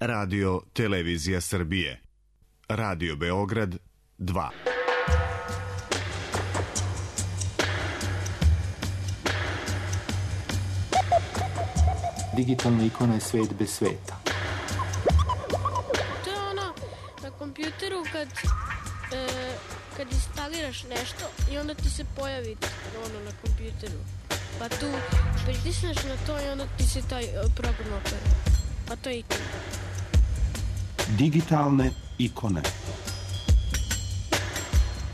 Radio Televizija Srbije. Radio Beograd 2. Digitalna ikona je svet bez sveta. To je ono na kompjuteru kad instaliraš nešto i onda ti se pojavi ono na kompjuteru. Pa tu pritisneš na to i onda ti se taj program opere. Pa to je ikona. Digitalne ikone.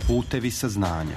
Putevi saznanja.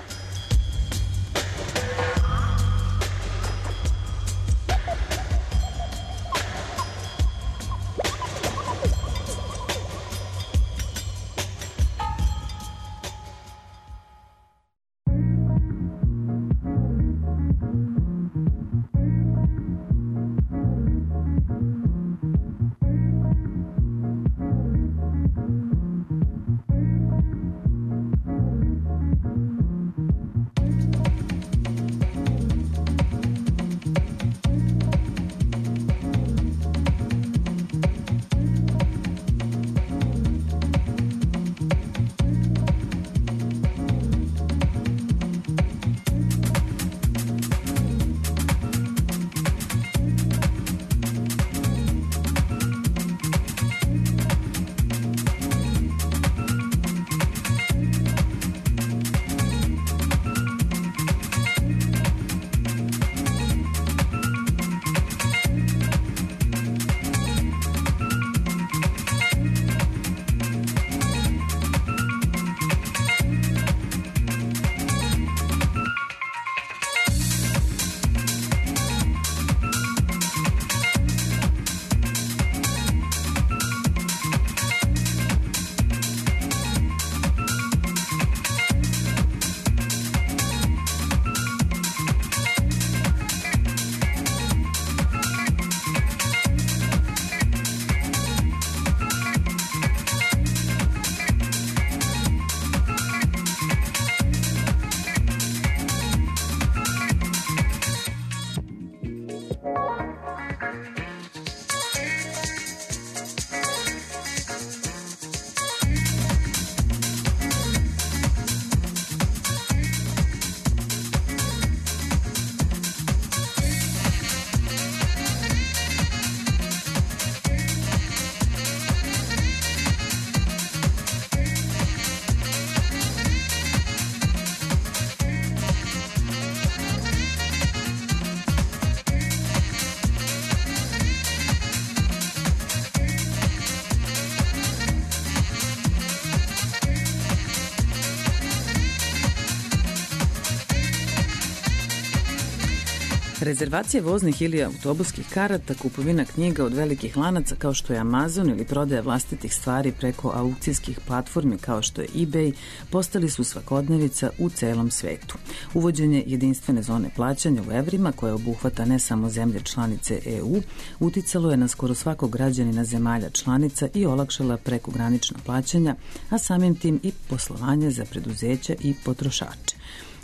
Rezervacije voznih ili autobuskih karata, kupovina knjiga od velikih lanaca kao što je Amazon ili prodaja vlastitih stvari preko aukcijskih platformi kao što je eBay postali su svakodnevica u celom svetu. Uvođenje jedinstvene zone plaćanja u evrima, koja obuhvata ne samo zemlje članice EU, uticalo je na skoro svakog građanina zemalja članica i olakšala prekogranična plaćanja, a samim tim i poslovanje za preduzeća i potrošače.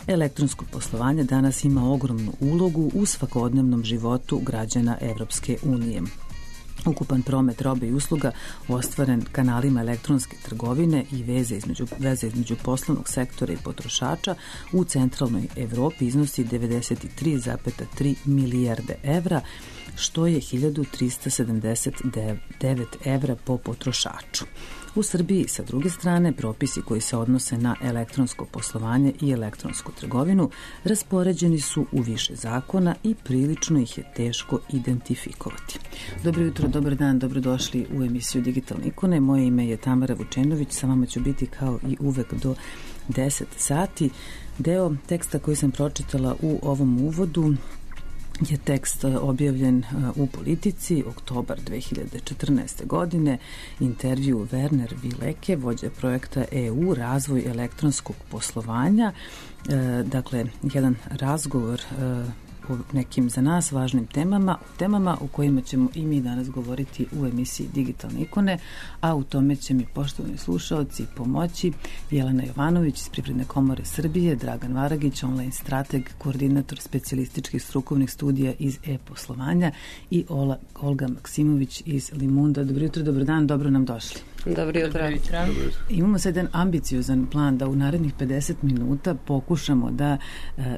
Elektronsko poslovanje danas ima ogromnu ulogu u svakodnevnom životu građana Evropske unije. Ukupan promet robe i usluga ostvaren kanalima elektronske trgovine i veze između poslovnog sektora i potrošača u centralnoj Evropi iznosi 93,3 milijarde evra, što je 1379 evra po potrošaču. U Srbiji, sa druge strane, propisi koji se odnose na elektronsko poslovanje i elektronsku trgovinu raspoređeni su u više zakona i prilično ih je teško identifikovati. Dobro jutro, dobar dan, dobrodošli u emisiju Digitalne ikone. Moje ime je Tamara Vučenović, sa vama ću biti kao i uvek do 10 sati. Deo teksta koji sam pročitala u ovom uvodu je tekst objavljen u Politici, oktobar 2014. godine, intervju Werner Vileke, vođa projekta EU, razvoj elektronskog poslovanja, dakle, jedan razgovor o nekim za nas važnim temama o kojima ćemo i mi danas govoriti u emisiji Digitalne ikone, a u tome će mi, poštovani slušaoci, pomoći Jelena Jovanović iz Privredne komore Srbije, Dragan Varagić, online strateg, koordinator specijalističkih strukovnih studija iz e-poslovanja i Olga Maksimović iz Limunda. Dobro jutro, dobro dan, dobro nam došli. Dobro jutro. Imamo sad jedan ambiciozan plan da u narednih 50 minuta pokušamo da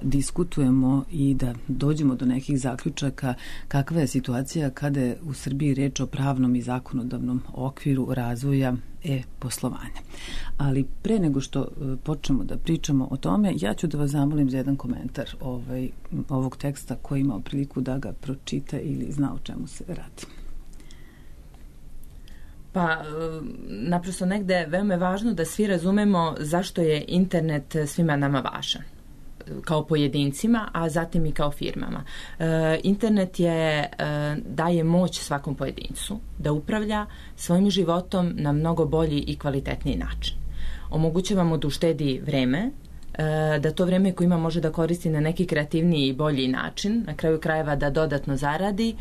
diskutujemo i da dođemo do nekih zaključaka kakva je situacija kada je u Srbiji reč o pravnom i zakonodavnom okviru razvoja e-poslovanja. Ali pre nego što počnemo da pričamo o tome, ja ću da vas zamolim za jedan komentar ovog teksta koji imao priliku da ga pročita ili zna o čemu se radi. Pa, naprosto negde veoma je važno da svi razumemo zašto je internet svima nama važan kao pojedincima, a zatim i kao firmama. Internet daje moć svakom pojedincu da upravlja svojim životom na mnogo bolji i kvalitetniji način. Omogućava mu da uštedi vreme, da to vreme koje ima može da koristi na neki kreativniji i bolji način, na kraju krajeva da dodatno zaradi,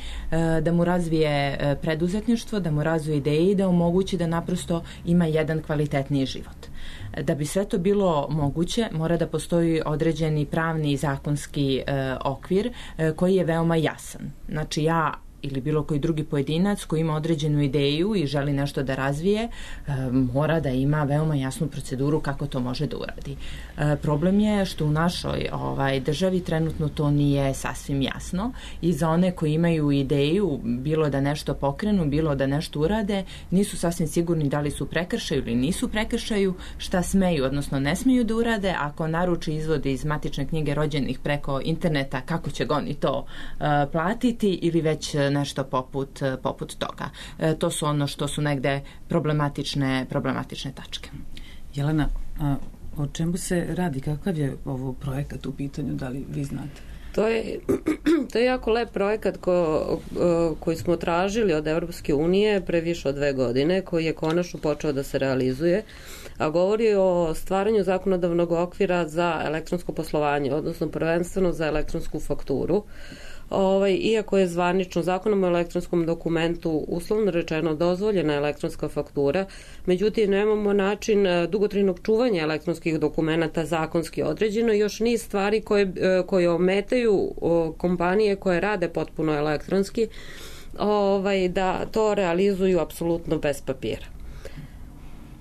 da mu razvije preduzetništvo, da mu razvije ideje i da omogući da naprosto ima jedan kvalitetniji život. Da bi sve to bilo moguće, mora da postoji određeni pravni i zakonski okvir koji je veoma jasan. Znači ja ili bilo koji drugi pojedinac koji ima određenu ideju i želi nešto da razvije, mora da ima veoma jasnu proceduru kako to može da uradi. Problem je što u našoj državi trenutno to nije sasvim jasno i za one koji imaju ideju, bilo da nešto pokrenu, bilo da nešto urade, nisu sasvim sigurni da li su prekršaju ili nisu prekršaju, šta smeju, odnosno ne smeju da urade, ako naruči izvod iz matične knjige rođenih preko interneta, kako će oni to platiti ili već nešto poput toga. To su ono što su negde problematične tačke. Jelena, o čemu se radi? Kakav je ovo projekat u pitanju? Da li vi znate? To je jako lep projekat koji smo tražili od Evropske unije pre više od 2 godine, koji je konačno počeo da se realizuje, a govori o stvaranju zakonodavnog okvira za elektronsko poslovanje, odnosno prvenstveno za elektronsku fakturu. Iako je zvanično zakonom o elektronskom dokumentu uslovno rečeno dozvoljena elektronska faktura, međutim nemamo način dugotrajnog čuvanja elektronskih dokumenata zakonski određeno i još niz stvari koje ometaju kompanije koje rade potpuno elektronski da to realizuju apsolutno bez papira.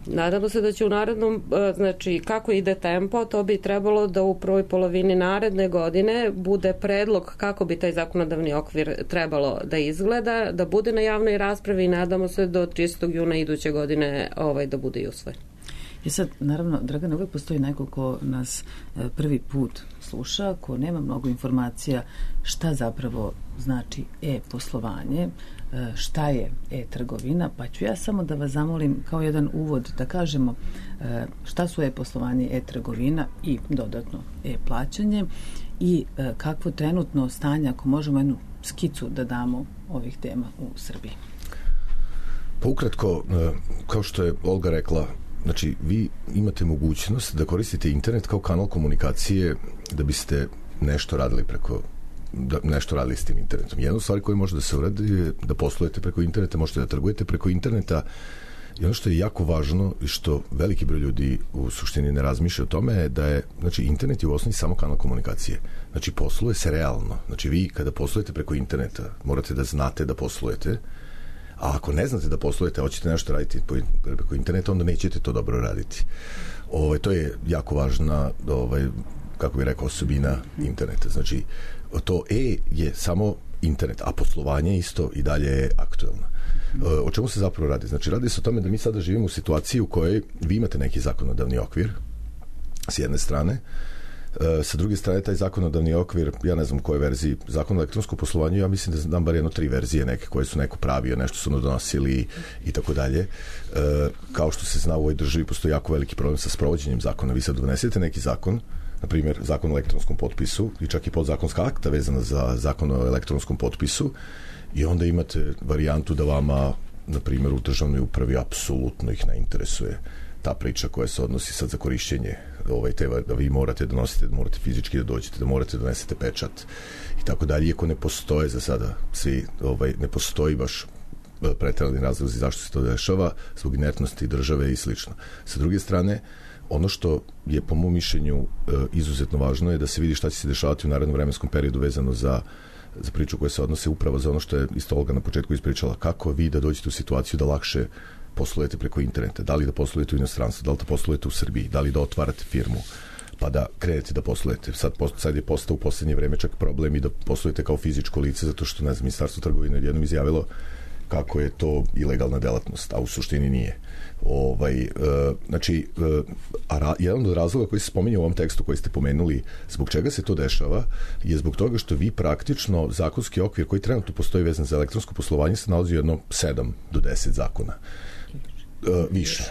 Nadamo se da će u narednom, znači kako ide tempo, to bi trebalo da u prvoj polovini naredne godine bude predlog kako bi taj zakonodavni okvir trebalo da izgleda, da bude na javnoj raspravi i nadamo se do 30. juna iduće godine da bude i usvojen. I sad, naravno, Dragana, uvijek postoji neko ko nas prvi put sluša, ko nema mnogo informacija šta zapravo znači e-poslovanje, šta je e-trgovina, pa ću ja samo da vas zamolim kao jedan uvod da kažemo šta su e-poslovanje, e-trgovina i dodatno e-plaćanje i kakvo trenutno stanje, ako možemo jednu skicu da damo ovih tema u Srbiji. Pa ukratko, kao što je Olga rekla, znači vi imate mogućnost da koristite internet kao kanal komunikacije da biste nešto radili s tim internetom. Jedna stvar koja može da se uradi je da poslujete preko interneta, možete da trgujete preko interneta i ono što je jako važno i što veliki broj ljudi u suštini ne razmišlja o tome je da je, znači internet je u osnovi samo kanal komunikacije. Znači posluje se realno. Znači vi kada poslujete preko interneta morate da znate da poslujete, a ako ne znate da poslujete, hoćete nešto raditi preko interneta, onda nećete to dobro raditi. To je jako važna, kako bih rekao, osobina interneta. Znači, to je samo internet, a poslovanje isto i dalje je aktuelno. O čemu se zapravo radi? Znači, radi se o tome da mi sada živimo u situaciji u kojoj vi imate neki zakonodavni okvir, s jedne strane, sa druge strane taj zakonodavni okvir, ja ne znam u kojoj verziji zakona o elektronskom poslovanju, ja mislim da znam bar 3 verzije neke koje su neko pravio, nešto su donosili i tako dalje. Kao što se zna u ovoj državi postoji jako veliki problem sa sprovođenjem zakona. Vi sad donesete neki zakon, na primjer zakon o elektronskom potpisu i čak i podzakonska akta vezana za zakon o elektronskom potpisu i onda imate varijantu da vama, na primjer, u državnoj upravi apsolutno ih ne interesuje ta priča koja se odnosi sad za korišćenje da vi morate da nosite, da morate fizički da dođete, da morate da donesete pečat i tako dalje, iako ne postoje za sada svi, ne postoji baš preterani razlozi zašto se to dešava, zbog inertnosti države i slično. Sa druge strane, ono što je po mom mišljenju izuzetno važno je da se vidi šta će se dešavati u narednom vremenskom periodu vezano za priču koja se odnose upravo za ono što je isto Olga na početku ispričala, kako vi da dođete u situaciju da lakše poslujete preko interneta, da li da poslujete u inostranstvu, da li da poslujete u Srbiji, da li da otvarate firmu, pa da krenete da poslujete. Sad je postao u poslednje vreme čak problem i da poslujete kao fizičko lice, zato što, ne znam, Ministarstvo trgovine jednom izjavilo kako je to ilegalna delatnost, a u suštini nije. Jedan od razloga koji se spominje u ovom tekstu koji ste pomenuli, zbog čega se to dešava, je zbog toga što vi praktično zakonski okvir koji trenutno postoji vezan za elektronsko poslovanje se nalazi u jedno 7 do 10 zakona. Više.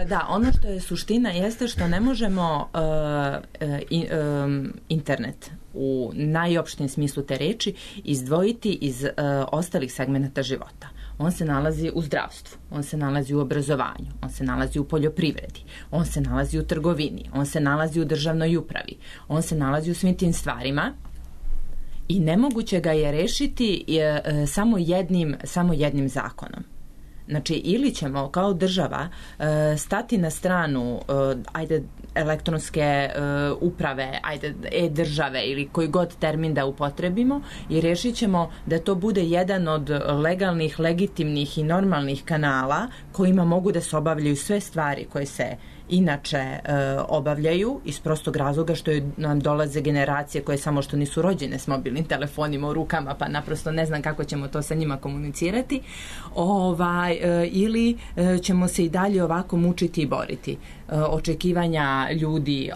Da, ono što je suština jeste što ne možemo internet u najopštijem smislu te reči izdvojiti iz ostalih segmenata života. On se nalazi u zdravstvu, on se nalazi u obrazovanju, on se nalazi u poljoprivredi, on se nalazi u trgovini, on se nalazi u državnoj upravi, on se nalazi u svim tim stvarima i nemoguće ga je rešiti samo jednim zakonom. Znači, ili ćemo kao država stati na stranu elektronske uprave, e-države ili koji god termin da upotrebimo i rešit ćemo da to bude jedan od legalnih, legitimnih i normalnih kanala kojima mogu da se obavljaju sve stvari koje se inače obavljaju iz prostog razloga što nam dolaze generacije koje samo što nisu rođene s mobilnim telefonima u rukama, pa naprosto ne znam kako ćemo to sa njima komunicirati, ili ćemo se i dalje ovako mučiti i boriti. Očekivanja ljudi,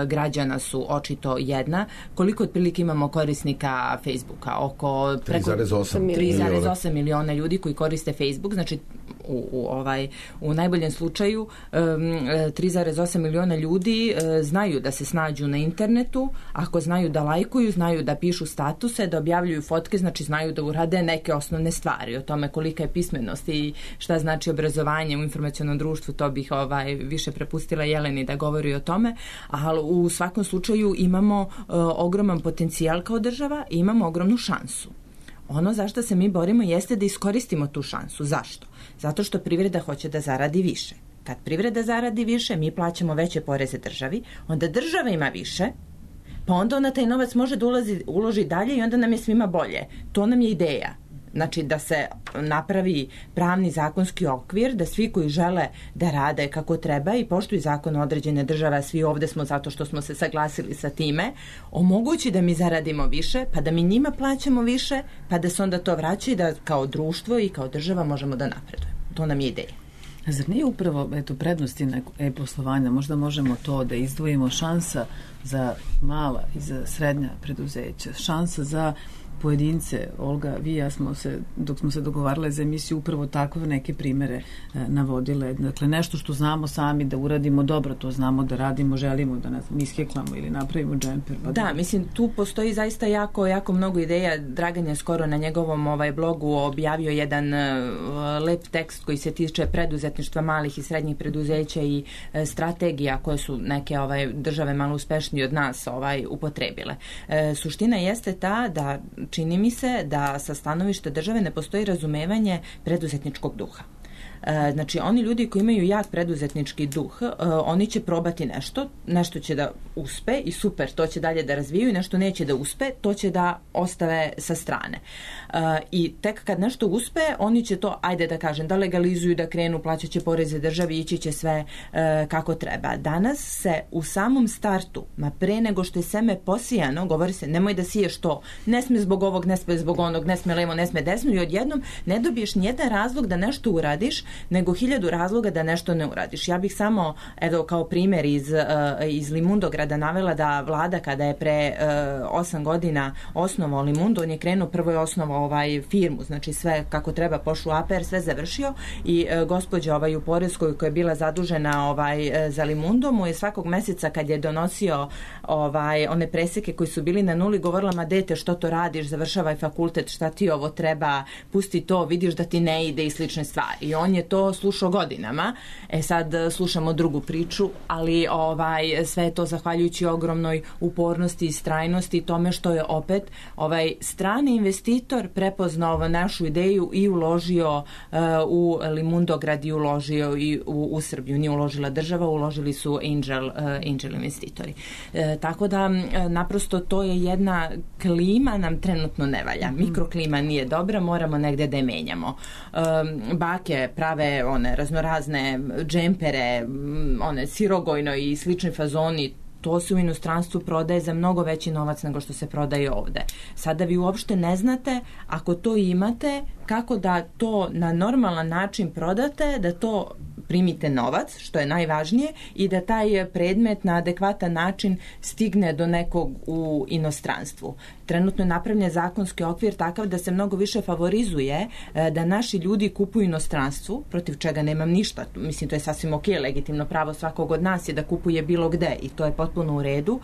građana su očito jedna. Koliko otprilike imamo korisnika Facebooka? Oko 3,8 miliona ljudi koji koriste Facebook, znači u najboljem slučaju 3,8 miliona ljudi znaju da se snađu na internetu, ako znaju da lajkuju, znaju da pišu statuse, da objavljuju fotke, znači znaju da urade neke osnovne stvari. O tome kolika je pismenost i šta znači obrazovanje u informacionom društvu, to bih više prepustila Jeleni da govori o tome, ali u svakom slučaju imamo ogroman potencijal kao država i imamo ogromnu šansu. Ono za što se mi borimo jeste da iskoristimo tu šansu. Zašto? Zato što privreda hoće da zaradi više. Kad privreda zaradi više, mi plaćamo veće poreze državi, onda država ima više, pa onda ona taj novac može da uloži dalje i onda nam je svima bolje. To nam je ideja. Znači da se napravi pravni zakonski okvir, da svi koji žele da rade kako treba i poštuju zakon određene države, svi ovde smo zato što smo se saglasili sa time, omogući da mi zaradimo više, pa da mi njima plaćamo više, pa da se onda to vraća i da kao društvo i kao država možemo da napredujemo. To nam je ideja. Zar nije upravo prednosti e-poslovanja? Možda možemo to da izdvojimo, šansa za mala i za srednja preduzeća, šansa za pojedince. Olga, vi i ja dok smo se dogovarale za emisiju, upravo takve neke primere navodile. Dakle, nešto što znamo sami da uradimo dobro, to znamo da radimo, želimo da nas iskeklamo ili napravimo džemper. Da, mislim, tu postoji zaista jako mnogo ideja. Dragan je skoro na njegovom blogu objavio jedan lep tekst koji se tiče preduzetništva malih i srednjih preduzeća i strategija koje su neke države malo uspešnije od nas upotrebile. Suština jeste ta da čini mi se da sa stanovišta države ne postoji razumevanje preduzetničkog duha. Znači, oni ljudi koji imaju jak preduzetnički duh, oni će probati nešto će da uspe i super, to će dalje da razvijaju, nešto neće da uspe, to će da ostave sa strane. I tek kad nešto uspe, oni će to, da legalizuju, da krenu, plaćat će poreze državi, ići će sve kako treba. Danas se u samom startu, pre nego što je seme posijano, govori se, nemoj da siješ to, ne sme zbog ovog, ne sme zbog onog, ne sme levo, ne sme desno, i odjednom ne dobiješ nijedan razlog da nešto uradiš, nego 1000 razloga da nešto ne uradiš. Ja bih samo, kao primjer iz Limundograda navela da vlada kada je pre 8 godina osnovao Limundo, on je krenuo, prvo je osnovao firmu, znači sve kako treba, pošao APR, sve završio i gospođa u Poreskoj koja je bila zadužena za Limundo mu je svakog meseca kad je donosio one preseke koji su bili na nuli govorila, ma dete, što to radiš, završavaj fakultet, šta ti ovo treba, pusti to, vidiš da ti ne ide i slične stvari. I on je to slušao godinama. Sad slušamo drugu priču, ali sve je to zahvaljujući ogromnoj upornosti i istrajnosti, tome što je opet strani investitor prepoznao našu ideju i uložio u Limundograd i uložio i u Srbiju. Nije uložila država, uložili su angel investitori. Tako da naprosto to je jedna klima nam trenutno ne valja. Mikroklima nije dobra, moramo negde da je menjamo. Bake prave one raznorazne džempere, one sirogojno i slični fazoni, to se u inostranstvu prodaje za mnogo veći novac nego što se prodaje ovde. Sada vi uopšte ne znate, ako to imate, kako da to na normalan način prodate, da to primite novac, što je najvažnije, i da taj predmet na adekvatan način stigne do nekog u inostranstvu. Trenutno je napravljen zakonski okvir takav da se mnogo više favorizuje da naši ljudi kupuju inostranstvu, protiv čega nemam ništa. Mislim, to je sasvim ok, legitimno pravo svakog od nas je da kupuje bilo gde i to je potpuno u redu,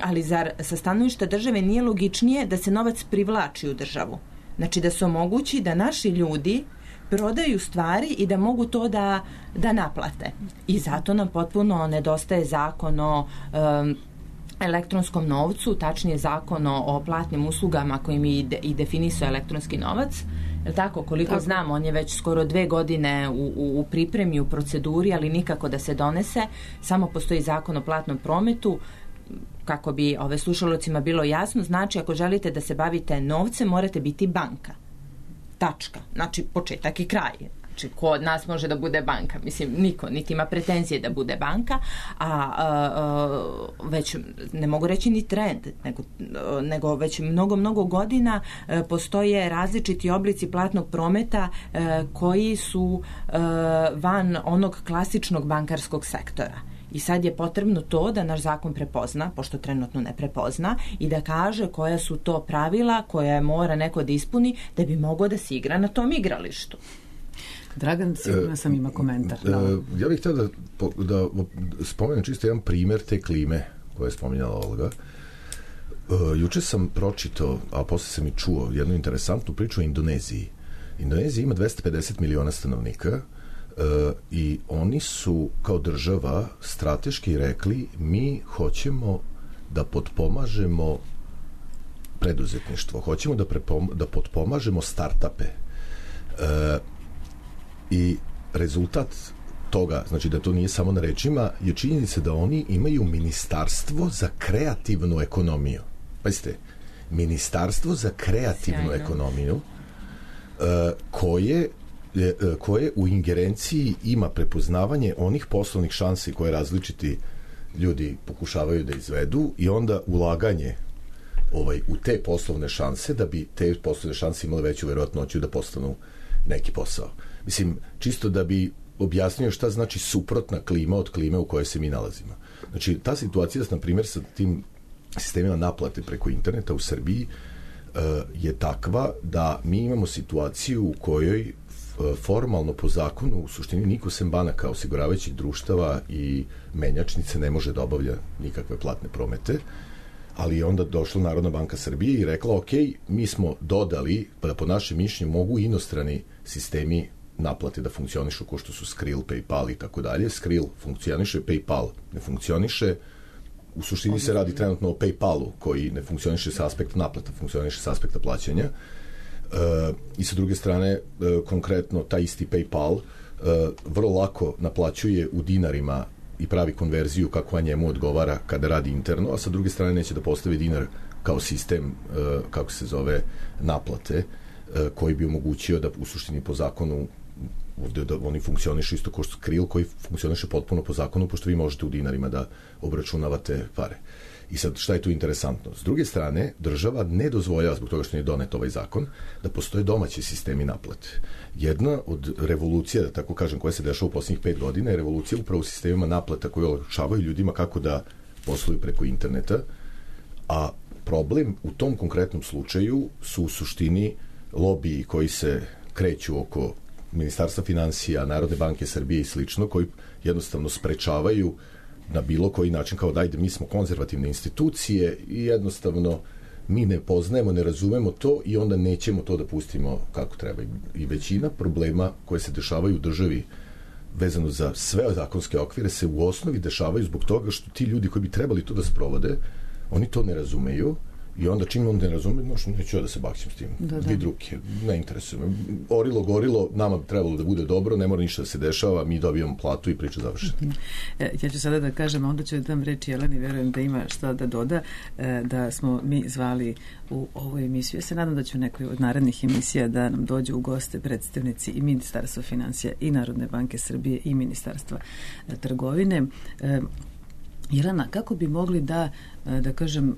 ali zar sa stanovišta države nije logičnije da se novac privlači u državu? Znači da se omogući da naši ljudi prodaju stvari i da mogu to da naplate. I zato nam potpuno nedostaje zakon o elektronskom novcu, tačnije zakon o platnim uslugama kojim i definisao elektronski novac. Tako, koliko znam, on je već skoro 2 godine u pripremi, u proceduri, ali nikako da se donese. Samo postoji zakon o platnom prometu. Kako bi slušalocima bilo jasno, znači ako želite da se bavite novcem, morate biti banka. Tačka. Znači početak i kraj. Znači ko od nas može da bude banka? Mislim, niko, niti ima pretenzije da bude banka, već ne mogu reći ni trend, nego već mnogo godina postoje različiti oblici platnog prometa koji su van onog klasičnog bankarskog sektora. I sad je potrebno to da naš zakon prepozna, pošto trenutno ne prepozna, i da kaže koja su to pravila koja mora neko da ispuni da bi mogao da se igra na tom igralištu. Dragan, sigurno sam ima komentar. Ja bih htio da spomenem čisto jedan primjer te klime koje je spominjala Olga. Juče sam pročitao, a posle sam i čuo jednu interesantnu priču o Indoneziji. Indonezija ima 250 miliona stanovnika i oni su kao država strateški rekli mi hoćemo da potpomažemo preduzetništvo, hoćemo da potpomažemo startupe i rezultat toga, znači da to nije samo na rečima, je činjenica da oni imaju ministarstvo za kreativnu ekonomiju. Pazite, ministarstvo za kreativnu ekonomiju koje u ingerenciji ima prepoznavanje onih poslovnih šansi koje različiti ljudi pokušavaju da izvedu i onda ulaganje u te poslovne šanse da bi te poslovne šanse imale veću verovatnoću da postanu neki posao. Mislim, čisto da bi objasnio šta znači suprotna klima od klime u kojoj se mi nalazimo. Znači, ta situacija, na primjer, sa tim sistemima naplate preko interneta u Srbiji je takva da mi imamo situaciju u kojoj formalno po zakonu u suštini niko sem banaka, osiguravajućih društava i menjačnice ne može da obavlja nikakve platne promete, ali je onda došla Narodna banka Srbije i rekla ok, mi smo dodali da po našem mišljenju mogu inostrani sistemi naplate da funkcionišu kao što su Skrill, PayPal i tako dalje. Skrill funkcioniše, PayPal ne funkcioniše. U suštini se radi trenutno o PayPalu koji ne funkcioniše sa aspekta naplata, funkcioniše sa aspekta plaćanja. I sa druge strane, konkretno taj isti PayPal vrlo lako naplaćuje u dinarima i pravi konverziju kakva njemu odgovara kada radi interno, a sa druge strane neće da postavi dinar kao sistem, kako se zove, naplate, koji bi omogućio da u suštini po zakonu ovde da oni funkcionišu isto kao Skrill koji funkcioniše potpuno po zakonu, pošto vi možete u dinarima da obračunavate pare. I sad, šta je tu interesantno? S druge strane, država ne dozvoljava, zbog toga što nije donet ovaj zakon, da postoje domaći sistemi naplate. Jedna od revolucija, da tako kažem, koja se dešava u posljednjih 5 godina je revolucija upravo u sistemima naplata koji olakšavaju ljudima kako da posluju preko interneta, a problem u tom konkretnom slučaju su u suštini lobiji koji se kreću oko Ministarstva finansija, Narodne banke Srbije i slično, koji jednostavno sprečavaju na bilo koji način, kao dajde, mi smo konzervativne institucije i jednostavno mi ne poznajemo, ne razumemo to i onda nećemo to da pustimo kako treba. I većina problema koje se dešavaju u državi vezano za sve zakonske okvire se u osnovi dešavaju zbog toga što ti ljudi koji bi trebali to da sprovode, oni to ne razumeju i onda čim on ne razume, neću ja da se bakćem s tim. Dvi druge, ne interesuje me. Orilo, gorilo, nama bi trebalo da bude dobro, ne mora ništa da se dešava, mi dobijamo platu i priča završena. Ja ću sada da kažem, a onda ću da dam reč Jeleni, verujem da ima šta da doda, da smo mi zvali u ovu emisiju. Ja se nadam da će u nekoj od narednih emisija da nam dođu u goste predstavnici i Ministarstva finansija i Narodne banke Srbije i Ministarstva trgovine. Jelena, kako bi mogli da kažem,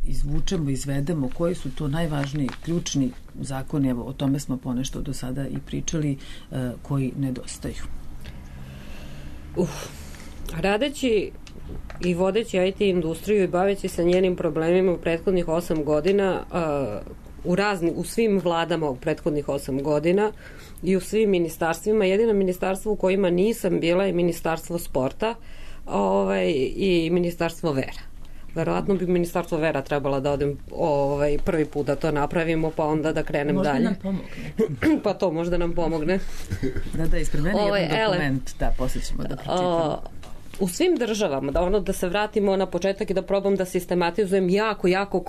izvučemo, izvedemo koji su to najvažniji, ključni zakoni, evo o tome smo ponešto do sada i pričali, koji nedostaju? Radeći i vodeći IT industriju i baveći se njenim problemima u prethodnih 8 godina, u svim vladama u prethodnih 8 godina i u svim ministarstvima, jedino ministarstvo u kojima nisam bila je Ministarstvo sporta i Ministarstvo vera. Verovatno bi Ministarstvo vera trebala da odem prvi put da to napravimo, pa onda da krenem možda dalje. Možda nam pomogne. Pa to možda nam pomogne. Da, ispred mene jedan dokument, da, poslije ćemo da pročitamo. U svim državama, da se vratimo na početak i da probam da sistematizujem jako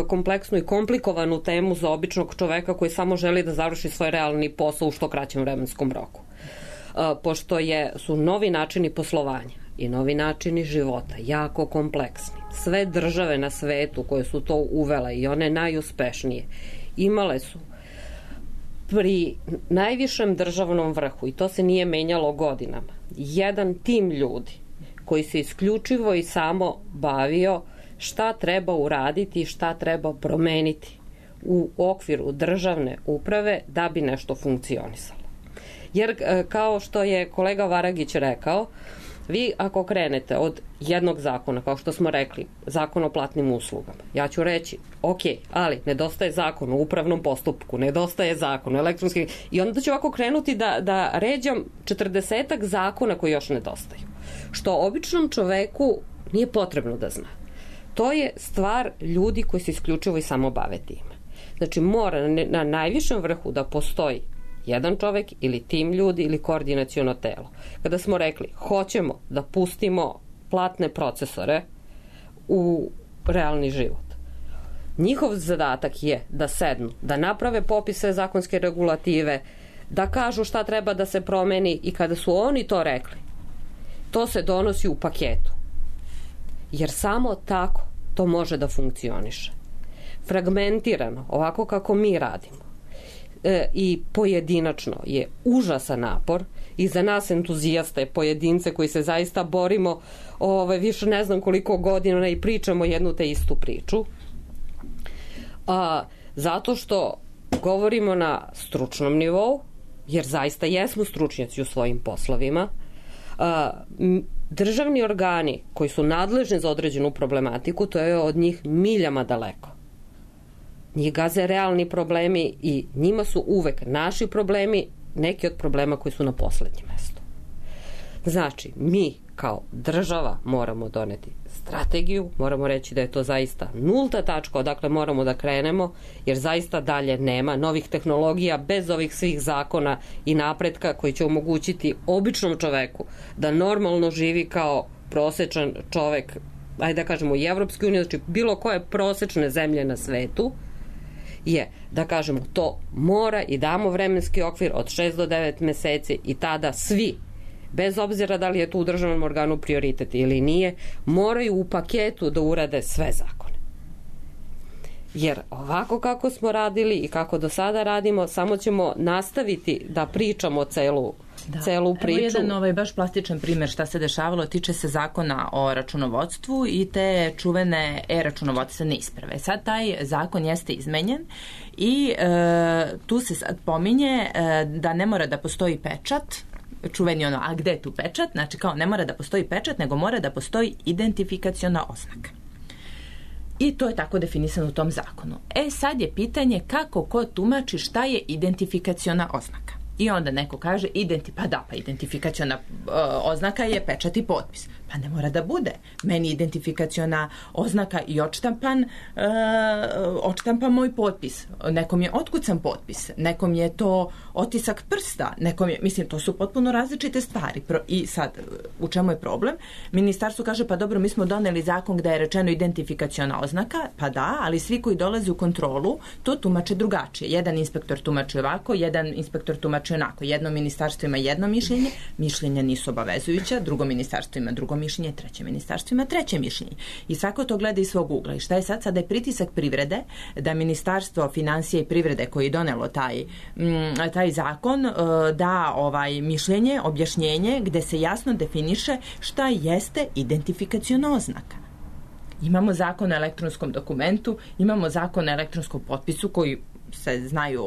kompleksnu i komplikovanu temu za običnog čoveka koji samo želi da završi svoj realni posao u što kraćem vremenskom roku. Pošto su novi načini poslovanja i novi načini života jako kompleksni. Sve države na svetu koje su to uvele i one najuspešnije imale su pri najvišem državnom vrhu, i to se nije menjalo godinama, jedan tim ljudi koji se isključivo i samo bavio šta treba uraditi i šta treba promeniti u okviru državne uprave da bi nešto funkcionisalo. Jer kao što je kolega Varagić rekao, vi ako krenete od jednog zakona, kao što smo rekli, zakon o platnim uslugama, ja ću reći, ok, ali nedostaje zakon o upravnom postupku, nedostaje zakon o elektronskim, i onda ću ovako krenuti da ređam 40-ak zakona koji još nedostaju. Što običnom čoveku nije potrebno da zna. To je stvar ljudi koji se isključivo i samo bave time. Znači mora na najvišem vrhu da postoji jedan čovek ili tim ljudi ili koordinaciono telo. Kada smo rekli hoćemo da pustimo platne procesore u realni život, njihov zadatak je da sednu, da naprave popise zakonske regulative, da kažu šta treba da se promeni, i kada su oni to rekli, to se donosi u paketu. Jer samo tako to može da funkcioniše. Fragmentirano, ovako kako mi radimo, i pojedinačno je užasan napor i za nas entuzijaste, pojedince koji se zaista borimo više ne znam koliko godina i pričamo jednu te istu priču, zato što govorimo na stručnom nivou, jer zaista jesmo stručnjaci u svojim poslovima. Državni organi koji su nadležni za određenu problematiku, to je od njih miljama daleko. Njih gaze realni problemi i njima su uvek naši problemi neki od problema koji su na poslednjem mestu. Znači, mi kao država moramo doneti strategiju, moramo reći da je to zaista nulta tačka odakle moramo da krenemo, jer zaista dalje nema novih tehnologija bez ovih svih zakona i napretka koji će omogućiti običnom čoveku da normalno živi kao prosečan čovek, ajde da kažemo i Evropske unije, znači bilo koje prosečne zemlje na svetu, je da kažemo to mora i damo vremenski okvir od 6 do 9 meseci i tada svi, bez obzira da li je tu u državnom organu prioritet ili nije, moraju u paketu da urade sve zakone. Jer ovako kako smo radili i kako do sada radimo, samo ćemo nastaviti da pričamo celu priču. Evo jedan baš plastičan primjer šta se dešavalo, tiče se zakona o računovodstvu i te čuvene e-računovodstvene isprave. Sad taj zakon jeste izmenjen i tu se sad pominje da ne mora da postoji pečat, čuveni a gde je tu pečat? Znači kao ne mora da postoji pečat, nego mora da postoji identifikaciona oznaka. I to je tako definisano u tom zakonu. Sad je pitanje kako ko tumači šta je identifikaciona oznaka. I onda neko kaže, pa identifikaciona oznaka je pečat i potpis. Pa ne mora da bude. Meni identifikaciona oznaka i odštampa moj potpis. Nekom je otkucan potpis, nekom je to otisak prsta, mislim, to su potpuno različite stvari. I sad, u čemu je problem? Ministarstvo kaže, pa dobro, mi smo doneli zakon gde je rečeno identifikaciona oznaka, pa da, ali svi koji dolaze u kontrolu to tumače drugačije. Jedan inspektor tumači ovako, jedan inspektor tumači onako. Jedno ministarstvo ima jedno mišljenje, mišljenja nisu obavezujuća, drugo ministarstvo ima drugo mišljenje, treće ministarstvo ima treće mišljenje. I svako to gleda iz svog ugla. I šta je sad? Sada je pritisak privrede da Ministarstvo finansija i privrede koji je donelo taj zakon da mišljenje, objašnjenje gde se jasno definiše šta jeste identifikaciona oznaka. Imamo zakon o elektronskom dokumentu, imamo zakon o elektronskom potpisu koji se znaju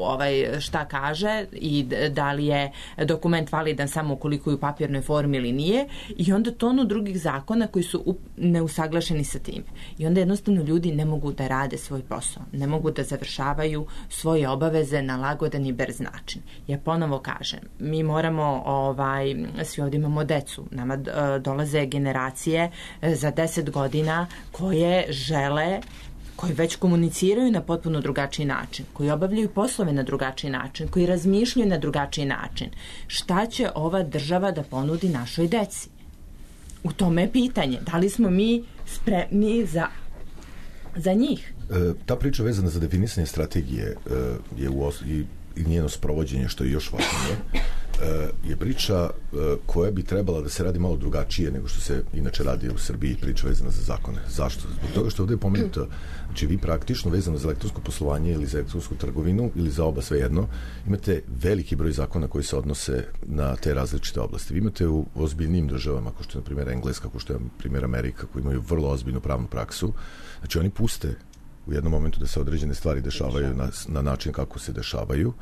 šta kaže i da li je dokument validan samo ukoliko je u papirnoj formi ili nije, i onda tonu drugih zakona koji su neusaglašeni sa tim. I onda jednostavno ljudi ne mogu da rade svoj posao, ne mogu da završavaju svoje obaveze na lagodan i brz način. Ja ponovo kažem, mi moramo, svi ovdje imamo decu, nama dolaze generacije za 10 godina koje žele, koji već komuniciraju na potpuno drugačiji način, koji obavljaju poslove na drugačiji način, koji razmišljaju na drugačiji način. Šta će ova država da ponudi našoj deci? U tome je pitanje. Da li smo mi spremni za njih? Ta priča vezana za definisanje strategije i njeno sprovođenje, što je još važnije, je priča koja bi trebala da se radi malo drugačije nego što se inače radi u Srbiji, priča vezana za zakone. Zašto? Zbog toga što ovdje je pomenuto, znači vi praktično vezano za elektronsko poslovanje ili za elektronsku trgovinu ili za oba svejedno, imate veliki broj zakona koji se odnose na te različite oblasti. Vi imate u ozbiljnim državama, kao što je na primjer Engleska, kao što je na primjer Amerika, koji imaju vrlo ozbiljnu pravnu praksu, znači oni puste u jednom momentu da se određene stvari dešavaju na način kako se dešavaju,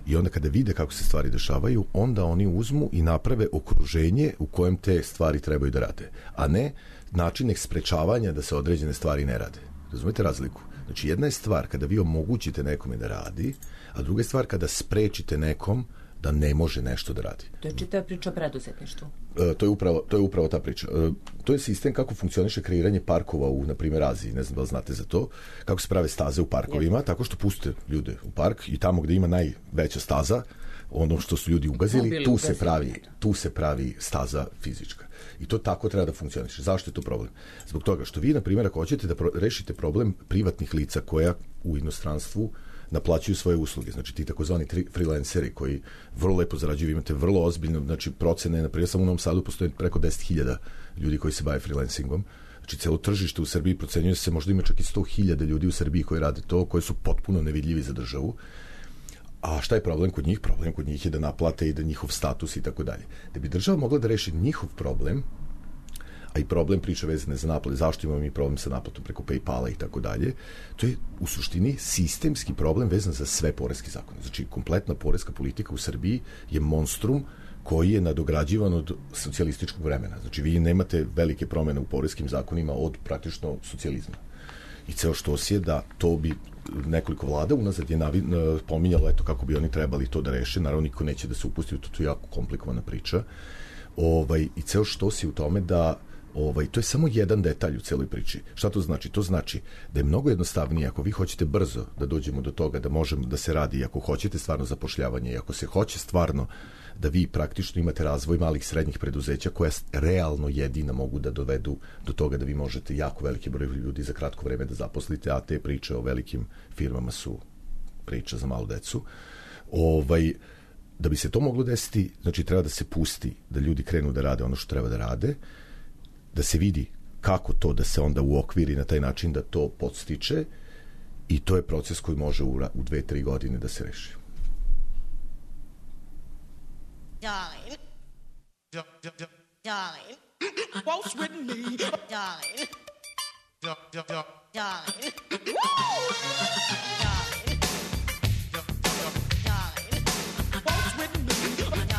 i onda kada vide kako se stvari dešavaju, onda oni uzmu i naprave okruženje u kojem te stvari trebaju da rade, a ne način sprečavanja da se određene stvari ne rade. Razumete razliku? Znači jedna je stvar kada vi omogućite nekome da radi, a druga je stvar kada sprečite nekom da ne može nešto da radi. To je čitava priča o preduzetništvu. To je upravo ta priča. To je sistem kako funkcioniše kreiranje parkova u, na primjer, Aziji. Ne znam da li znate za to. Kako se prave staze u parkovima, tako što pustite ljude u park i tamo gde ima najveća staza, ono što su ljudi ugazili, tu se pravi staza fizička. I to tako treba da funkcioniše. Zašto je to problem? Zbog toga što vi, na primjer, ako hoćete da rešite problem privatnih lica koja u inostranstvu naplaćuju svoje usluge, znači ti takozvani freelanceri koji vrlo lepo zarađuju, imate vrlo ozbiljno, znači procene, na primjer samo u Novom Sadu postoje preko 10.000 ljudi koji se bave freelancingom, znači celo tržište u Srbiji procenjuje se, možda ima čak i 100.000 ljudi u Srbiji koji rade to, koji su potpuno nevidljivi za državu. A šta je problem kod njih? Problem kod njih je da naplate i da njihov status i tako dalje. Da bi država mogla da reši njihov problem, a i problem priče vezane za naplate, zašto imamo mi problem sa naplatom preko PayPala i tako dalje, to je u suštini sistemski problem vezan za sve poreske zakone. Znači, kompletna poreska politika u Srbiji je monstrum koji je nadograđivan od socijalističkog vremena. Znači, vi nemate velike promjene u poreskim zakonima od praktično socijalizma. I ceo štos je da to bi nekoliko vlada unazad je pominjalo eto kako bi oni trebali to da reše. Naravno, niko neće da se upusti u to, to je jako komplikovana priča. I ceo štos je u tome da to je samo jedan detalj u celoj priči. Šta to znači? To znači da je mnogo jednostavnije ako vi hoćete brzo da dođemo do toga da možemo da se radi, ako hoćete stvarno zapošljavanje i ako se hoće stvarno da vi praktično imate razvoj malih i srednjih preduzeća koja realno jedina mogu da dovedu do toga da vi možete jako veliki broj ljudi za kratko vreme da zaposlite, a te priče o velikim firmama su priča za malu decu. Da bi se to moglo desiti, znači treba da se pusti, da ljudi krenu da rade ono što treba da rade, da se vidi kako to da se onda uokviri na taj način da to podstiče, i to je proces koji može u 2-3 godine da se reši. Darling. Darling. Waltz with me. Darling. Darling. Woo! Darling. Darling. Waltz with me. Darling.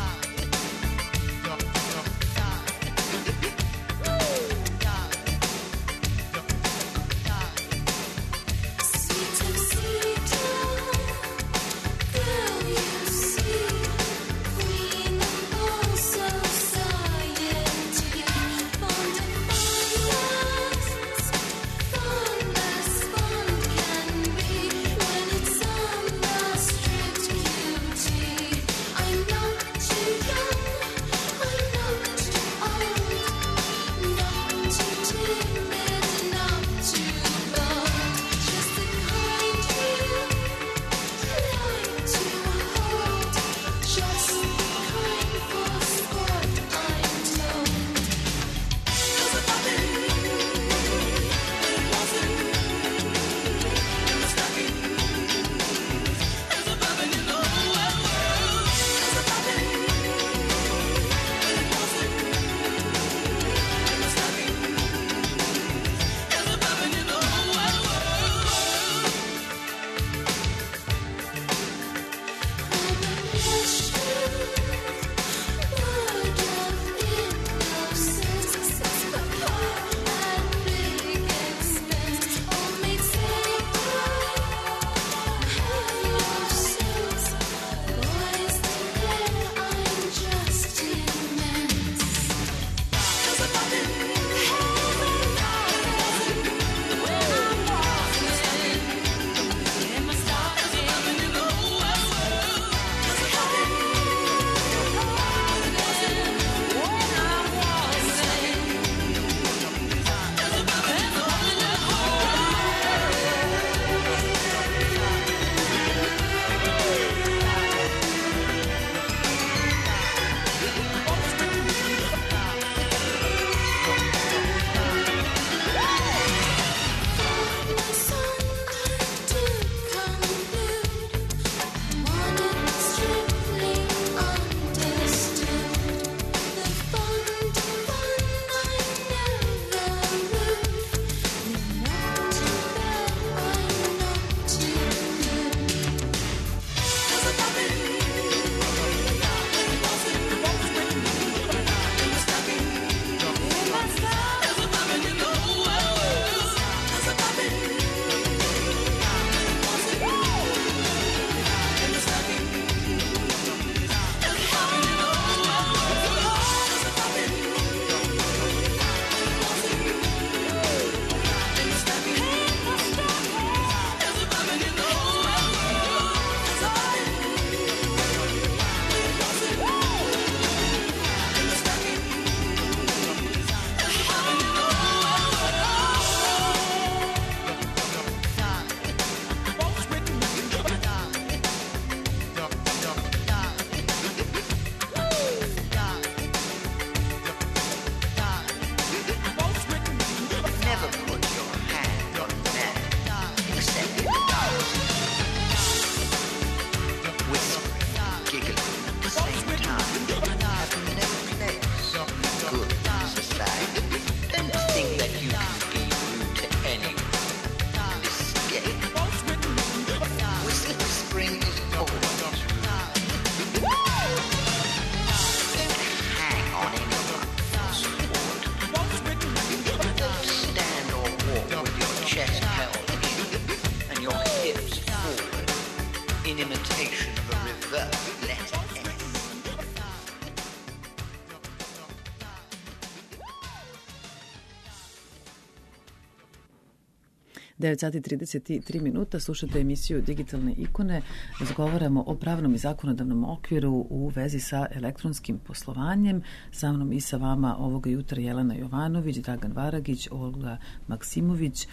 9 sati 33 minuta, slušate emisiju Digitalne ikone. Razgovaramo o pravnom i zakonodavnom okviru u vezi sa elektronskim poslovanjem. Sa mnom i sa vama ovoga jutra Jelena Jovanović, Dragan Varagić, Olga Maksimović.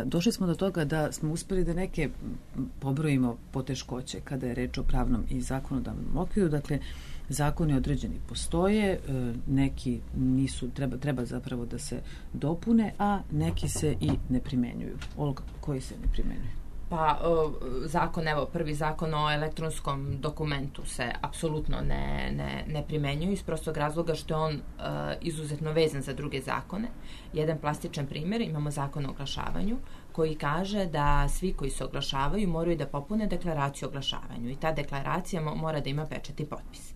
Došli smo do toga da smo uspeli da neke pobrojimo poteškoće kada je reč o pravnom i zakonodavnom okviru. Dakle, zakoni određeni postoje, neki nisu, treba zapravo da se dopune, a neki se i ne primenjuju. Olga, koji se ne primenjuju? Pa zakon, evo, prvi zakon o elektronskom dokumentu se apsolutno ne primenjuje iz prostog razloga što je on izuzetno vezan za druge zakone. Jedan plastičan primjer, imamo zakon o oglašavanju koji kaže da svi koji se oglašavaju moraju da popune deklaraciju o oglašavanju i ta deklaracija mora da ima pečat i potpis.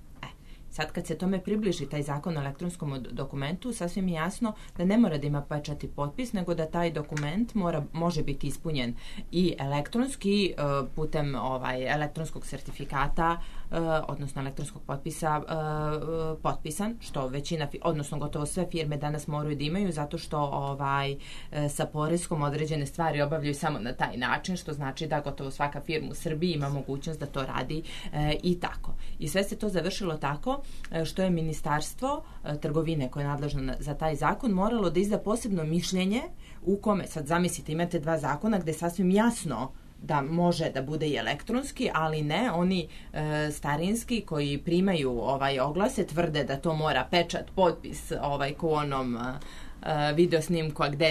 Sad kad se tome približi taj zakon o elektronskom dokumentu, sasvim je jasno da ne mora da ima pečat i potpis, nego da taj dokument može biti ispunjen i elektronski putem elektronskog sertifikata, odnosno elektronskog potpisa potpisan, što većina, odnosno gotovo sve firme danas moraju da imaju, zato što sa poreskom određene stvari obavljaju samo na taj način, što znači da gotovo svaka firma u Srbiji ima mogućnost da to radi i tako. I sve se to završilo tako što je Ministarstvo trgovine koje je nadležno za taj zakon moralo da izda posebno mišljenje u kome, sad zamislite, imate dva zakona gde sasvim jasno da može da bude i elektronski, ali ne, oni starinski koji primaju oglase tvrde da to mora pečat, potpis ko u onom video snimku, a gde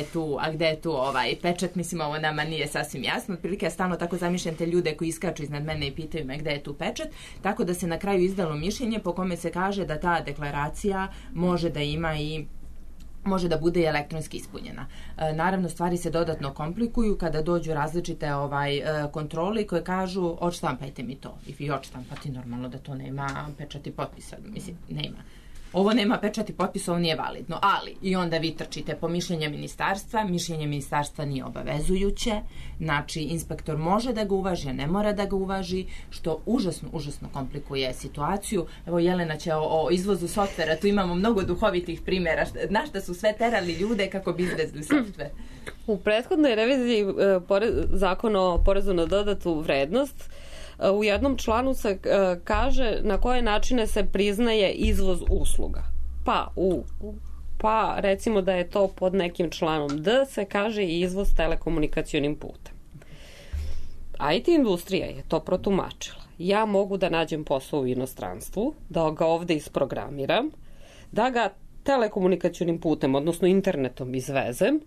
je tu pečat, mislim, ovo nama nije sasvim jasno. Otprilike ja stalno tako zamišljam te ljude koji iskaču iznad mene i pitaju me gde je tu pečat, tako da se na kraju izdalo mišljenje po kome se kaže da ta deklaracija može da ima i može da bude i elektronski ispunjena. Naravno, stvari se dodatno komplikuju kada dođu različite kontrole koje kažu odštampajte mi to. I vi odštampati, normalno da to nema pečat i potpisa. Mislim, nema. Ovo nema pečat i potpis, ovo nije validno, ali i onda vi trčite po mišljenje ministarstva nije obavezujuće, znači inspektor može da ga uvaži, a ne mora da ga uvaži, što užasno komplikuje situaciju. Evo, Jelena će o izvozu softvera, tu imamo mnogo duhovitih primjera, na šta su sve terali ljude kako bi izvezli softver. U prethodnoj reviziji zakona o porezu na dodatu vrednost u jednom članu se kaže na koje načine se priznaje izvoz usluga. Pa recimo da je to pod nekim članom D se kaže izvoz telekomunikacionim putem. IT industrija je to protumačila. Ja mogu da nađem posao u inostranstvu, da ga ovde isprogramiram, da ga telekomunikacionim putem, odnosno internetom izvezem.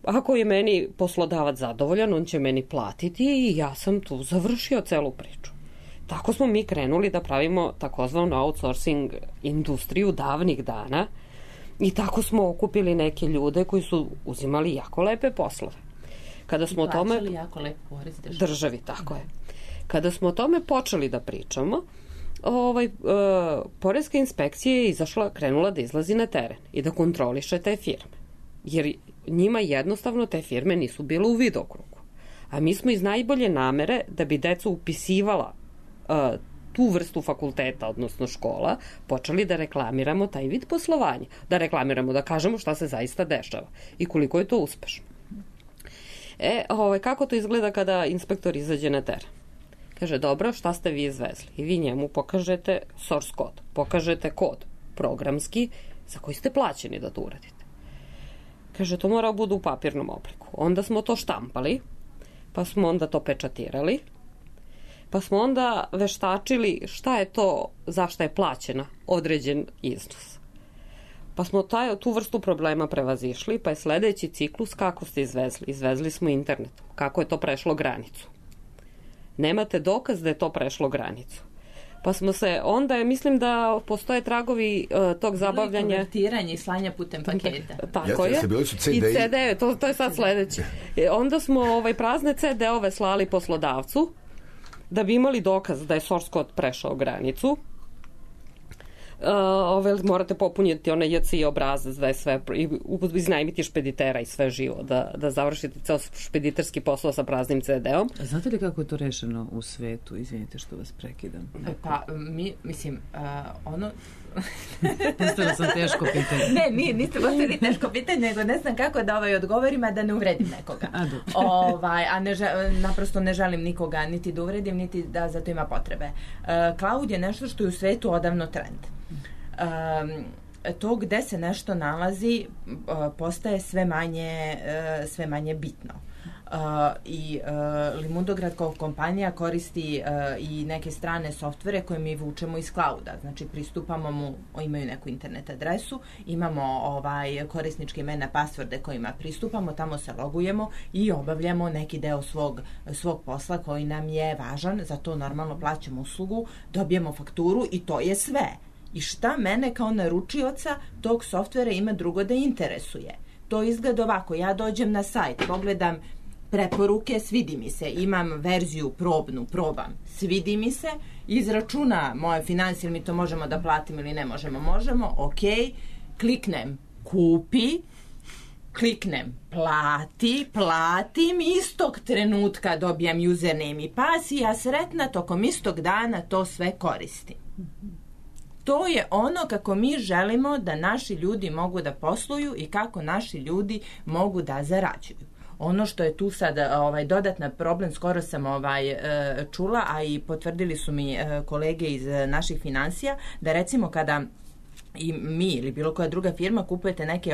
Ako je meni poslodavac zadovoljan, on će meni platiti i ja sam tu završio celu priču. Tako smo mi krenuli da pravimo takozvanu outsourcing industriju davnih dana i tako smo okupili neke ljude koji su uzimali jako lepe poslove. Kada smo o tome jako lep porez državi, tako je. Kada smo o tome počeli da pričamo, poreska inspekcija je krenula da izlazi na teren i da kontroliše te firme. Jer njima jednostavno te firme nisu bile u vidokrugu. A mi smo iz najbolje namere da bi deca upisivala tu vrstu fakulteta, odnosno škola, počeli da reklamiramo taj vid poslovanja. Da reklamiramo, da kažemo šta se zaista dešava i koliko je to uspešno. Kako to izgleda kada inspektor izađe na teren? Kaže, dobro, šta ste vi izvezli? I vi njemu pokažete source kod, pokažete kod programski za koji ste plaćeni da to uradite. Kaže, to mora budu u papirnom obliku. Onda smo to štampali, pa smo onda to pečatirali, pa smo onda veštačili šta je to, zašto je plaćena određen iznos. Pa smo tu vrstu problema prevazišli, pa je sledeći ciklus kako ste izvezli. Izvezli smo internetom. Kako je to prešlo granicu? Nemate dokaz da je to prešlo granicu. Pa smo se, onda mislim da postoje tragovi tog zabavljanja. Konvertiranje i slanja putem paketa. Tako je. I CD, to je sad sledeće. Onda smo prazne CD-ove slali poslodavcu da bi imali dokaz da je source code prešao granicu. Morate popunjeti onaj JCI obrazac da je sve, iznajmiti špeditera i sve živo, da završite ceo špediterski posao sa praznim CD-om. A znate li kako je to rešeno u svetu? Izvinite što vas prekidam. Pa, mislim, Postavila sam teško pitanje. Ne, niste postavili teško pitanje, nego ne znam kako da odgovorim, a da ne uvredim nekoga. Naprosto ne želim nikoga niti da uvredim, niti da za to ima potrebe. Cloud je nešto što je u svetu odavno trend. To gde se nešto nalazi postaje sve manje bitno. I Limundograd kao kompanija koristi i neke strane softvere koje mi vučemo iz clouda. Znači pristupamo mu, imaju neku internet adresu, imamo korisničke imena, pasvorde kojima pristupamo, tamo se logujemo i obavljamo neki deo svog posla koji nam je važan, za to normalno plaćamo uslugu, dobijemo fakturu i to je sve. I šta mene kao naručioca tog softvera ima drugo da interesuje? To izgleda ovako, ja dođem na sajt, pogledam preporuke, svidi mi se, imam verziju probam, svidi mi se, izračuna moje financije, ili mi to možemo da platimo ili ne možemo, ok, kliknem kupi, kliknem platim, istog trenutka dobijam username i pas i ja sretna tokom istog dana to sve koristim. To je ono kako mi želimo da naši ljudi mogu da posluju i kako naši ljudi mogu da zarađuju. Ono što je tu sad dodatna problem, skoro sam čula, a i potvrdili su mi kolege iz naših finansija, da recimo kada i mi ili bilo koja druga firma kupujete neke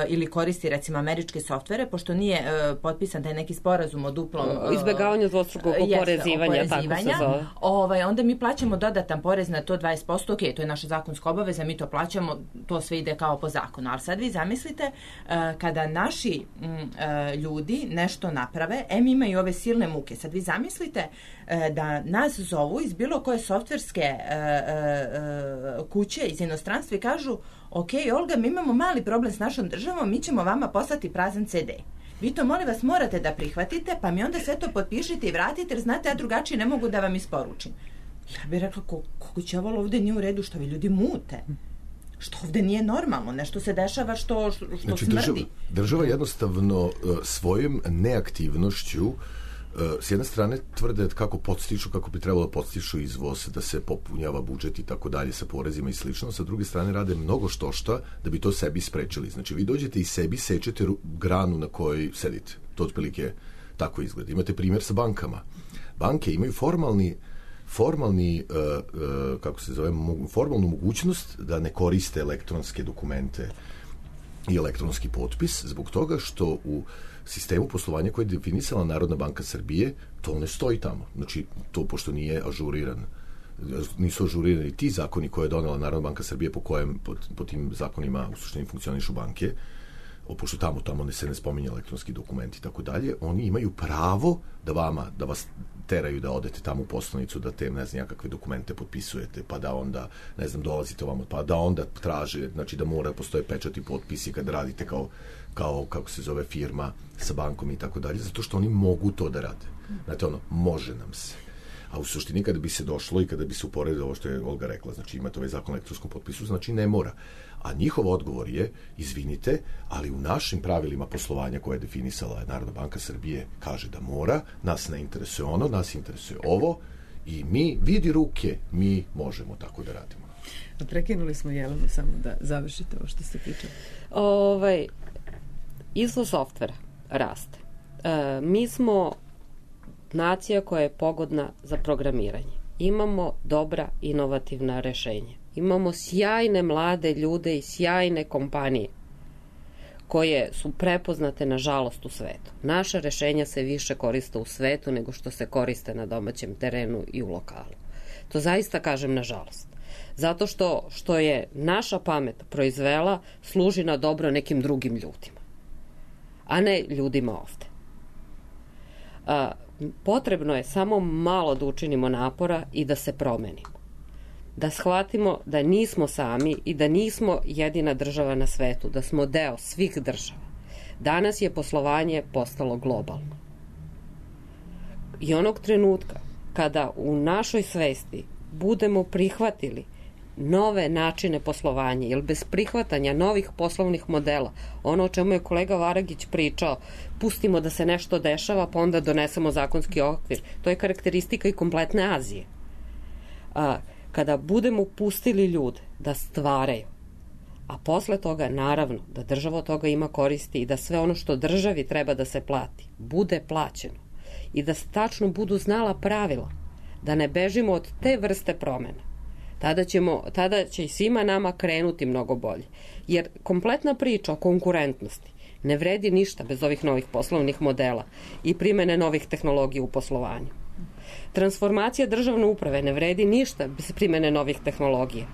ili koristi recimo američke softvere, pošto nije potpisan taj neki sporazum o duplom izbegavanju dvostrukog oporezivanja, tako se zove. Onda mi plaćamo dodatan porez na to 20%, ok, to je naša zakonska obaveza, mi to plaćamo, to sve ide kao po zakonu, ali sad vi zamislite kada naši ljudi nešto naprave, mi imaju ove silne muke, sad vi zamislite da nas zovu iz bilo koje softverske kuće iz inostranstva i kažu, ok, Olga, mi imamo mali problem s našom državom, mi ćemo vama poslati prazan CD. Vi to, molim vas, morate da prihvatite, pa mi onda sve to potpišite i vratite, jer znate, ja drugačije ne mogu da vam isporučim. Ja bih rekla, kako će ovo ovde nije u redu, što vi ljudi mute? Što ovde nije normalno, nešto se dešava što znači, smrdi. Država jednostavno svojom neaktivnošću s jedne strane tvrde kako bi trebalo da podstiču izvoz, da se popunjava budžet i tako dalje sa porezima i slično, sa druge strane rade mnogo štošta da bi to sebi sprečili. Znači vi dođete i sebi sečete granu na kojoj sedite. To otprilike tako izgleda. Imate primjer sa bankama. Banke imaju formalnu mogućnost da ne koriste elektronske dokumente i elektronski potpis zbog toga što u sistemu poslovanja koje je definisala Narodna banka Srbije, to ne stoji tamo. Znači, to pošto nije ažuriran, nisu ažurirani ti zakoni koje je donela Narodna banka Srbije po tim zakonima u suštini funkcionišu banke, pošto tamo se ne spominje elektronski dokumenti i tako dalje, oni imaju pravo da vas teraju da odete tamo u poslanicu, da te, ne znam, kakve dokumente potpisujete, pa da onda, ne znam, dolazite ovamo, pa da onda traže, znači da mora postoje pečat i potpisi kad radite kao kako se zove, firma sa bankom i tako dalje, zato što oni mogu to da rade. Znate, može nam se. A u suštini kada bi se došlo i kada bi se uporedilo ovo što je Olga rekla, znači imate ovaj zakon o elektronskom potpisu, znači ne mora. A njihov odgovor je, izvinite, ali u našim pravilima poslovanja koje je definisala Narodna banka Srbije kaže da mora, nas ne interesuje ono, nas interesuje ovo i mi, vidi ruke, mi možemo tako da radimo. Prekinuli smo Jelenu samo da završite ovo što ste pričali. Izvoz softvera raste. Mi smo nacija koja je pogodna za programiranje. Imamo dobra inovativna rešenja. Imamo sjajne mlade ljude i sjajne kompanije koje su prepoznate, nažalost, u svetu. Naša rešenja se više koriste u svetu nego što se koriste na domaćem terenu i u lokalu. To zaista kažem nažalost. Zato što je naša pamet proizvela, služi na dobro nekim drugim ljudima, a ne ljudima ovde. Potrebno je samo malo da učinimo napora i da se promenimo. Da shvatimo da nismo sami i da nismo jedina država na svetu, da smo deo svih država. Danas je poslovanje postalo globalno. I onog trenutka kada u našoj svesti budemo prihvatili nove načine poslovanja, jer bez prihvatanja novih poslovnih modela, ono o čemu je kolega Varagić pričao, pustimo da se nešto dešava, pa onda donesemo zakonski okvir. To je karakteristika i kompletne Azije. kada budemo pustili ljude da stvaraju, a posle toga naravno da država od toga ima koristi i da sve ono što državi treba da se plati bude plaćeno i da tačno budu znala pravila, da ne bežimo od te vrste promena, tada će i svima nama krenuti mnogo bolje. Jer kompletna priča o konkurentnosti ne vredi ništa bez ovih novih poslovnih modela i primene novih tehnologija u poslovanju. Transformacija državne uprave ne vredi ništa bez primene novih tehnologija.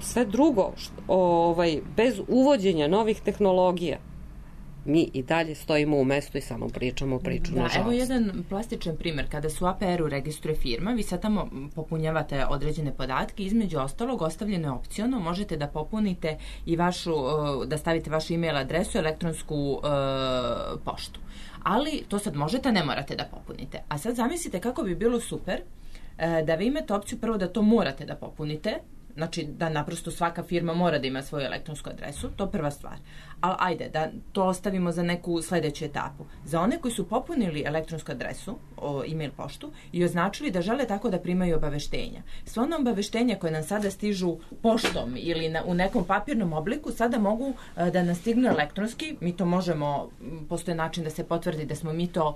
Sve drugo, bez uvođenja novih tehnologija, mi i dalje stojimo u mestu i samo pričamo priču, nažalost. Evo jedan plastičan primjer. Kada su APR-u registruje firma, vi sad tamo popunjavate određene podatke, između ostalog ostavljeno je opciono, možete da popunite i da stavite vašu e-mail adresu, elektronsku poštu. Ali to sad možete, ne morate da popunite. A sad zamislite kako bi bilo super da vi imate opciju prvo da to morate da popunite, znači da naprosto svaka firma mora da ima svoju elektronsku adresu, to prva stvar. Ali ajde, da to ostavimo za neku sledeću etapu. Za one koji su popunili elektronsku adresu, e-mail poštu, i označili da žele tako da primaju obaveštenja. Sva ona obaveštenja koje nam sada stižu poštom ili u nekom papirnom obliku, sada mogu da nas stignu elektronski, mi to možemo, postoje način da se potvrdi da smo mi to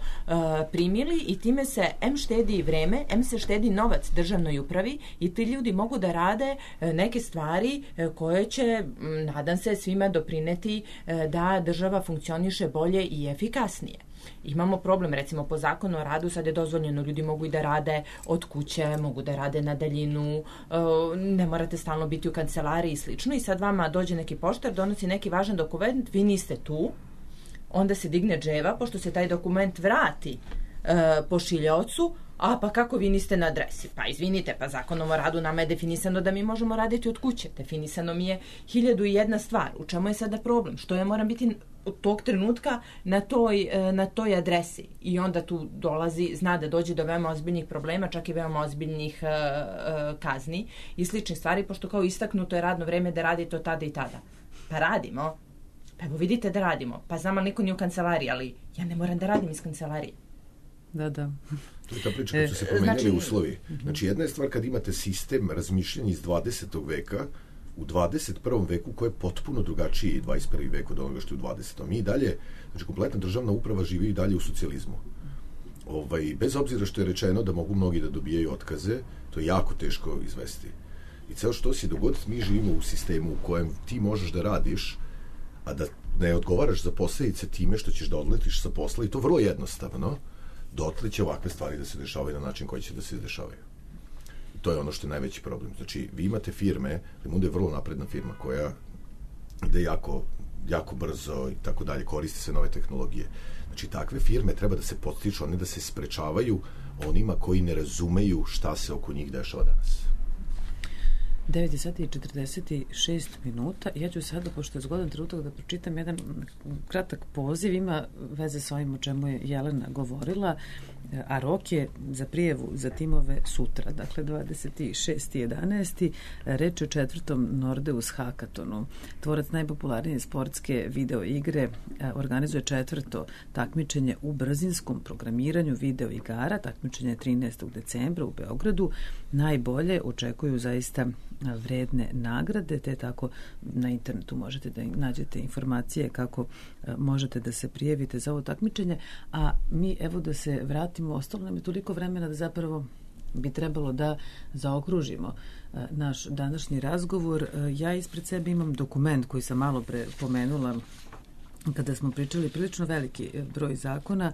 primili i time se štedi i vreme, se štedi novac državnoj upravi i ti ljudi mogu da rade neke stvari koje će, nadam se, svima doprineti da država funkcioniše bolje i efikasnije. Imamo problem, recimo po zakonu o radu sad je dozvoljeno, ljudi mogu i da rade od kuće, mogu da rade na daljinu, ne morate stalno biti u kancelariji i slično, i sad vama dođe neki poštar, donosi neki važan dokument, vi niste tu, onda se digne dževa, pošto se taj dokument vrati pošiljaocu, a pa kako vi niste na adresi? Pa izvinite, pa zakonom o radu nama je definisano da mi možemo raditi od kuće. Definisano mi je 1001 stvar. U čemu je sada problem? Što ja moram biti od tog trenutka na toj adresi? I onda tu zna da dođe do veoma ozbiljnih problema, čak i veoma ozbiljnih kazni i sličnih stvari, pošto kao istaknuto je radno vreme da radite od tada i tada. Pa radimo. Pa evo vidite da radimo. Pa znam, ali niko nije u kancelariji, ali ja ne moram da radim iz kancelarije. Da. To je ta priča kad su se promenili uslovi. Znači, jedna je stvar kad imate sistem razmišljanja iz 20. veka u 21. veku koji je potpuno drugačiji i 21. vek od onoga što je u 20. Mi i dalje, znači kompletna državna uprava živi i dalje u socijalizmu. Bez obzira što je rečeno da mogu mnogi da dobijaju otkaze, to je jako teško izvesti. I ceo što si dogod, mi živimo u sistemu u kojem ti možeš da radiš, a da ne odgovaraš za posledice time što ćeš da odletiš sa posla, i to vrlo jednostavno, dotle će ovakve stvari da se dešavaju na način koji će da se dešavaju. To je ono što je najveći problem. Znači, vi imate firme, Limundo je vrlo napredna firma koja ide jako brzo i tako dalje, koristi se nove tehnologije. Znači, takve firme treba da se podstiču, a ne da se sprečavaju onima koji ne razumeju šta se oko njih dešava danas. 9 sati i 46 minuta. Ja ću sada, pošto je zgodan trenutak, da pročitam jedan kratak poziv. Ima veze s ovim o čemu je Jelena govorila, a rok je za prijavu za timove sutra, dakle 26.11. Reč je o 4. Nordeus Hackatonu. Tvorac najpopularnije sportske video igre organizuje 4. takmičenje u brzinskom programiranju video igara. Takmičenje je 13. decembra u Beogradu. Najbolje očekuju zaista vredne nagrade, te tako na internetu možete da nađete informacije kako možete da se prijavite za ovo takmičenje, a mi evo da se vratimo, ostalo nam je toliko vremena da zapravo bi trebalo da zaokružimo naš današnji razgovor. Ja ispred sebe imam dokument koji sam malo pre pomenula kada smo pričali, prilično veliki broj zakona.